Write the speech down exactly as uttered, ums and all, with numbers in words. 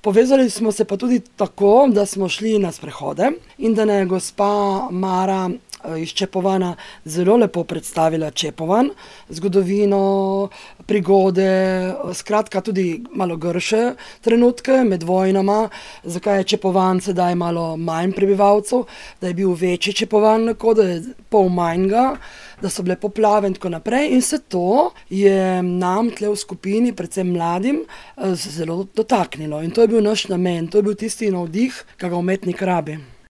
Povezali smo se pa tudi tako, da smo šli na sprehode in da ne je gospa Mara iz Čepovana zelo lepo predstavila Čepovan, zgodovino, prigode, skratka tudi malo grše trenutke med vojnama, zakaj je Čepovan sedaj malo manj prebivalcev, da je bil večji Čepovan, da je pol manjga, da so bile poplave in tako naprej, in se to je nam tle v skupini, predvsem mladim, zelo dotaknilo in to je bil naš namen, to je bil tisti navdih, ki ga umetnik rabi.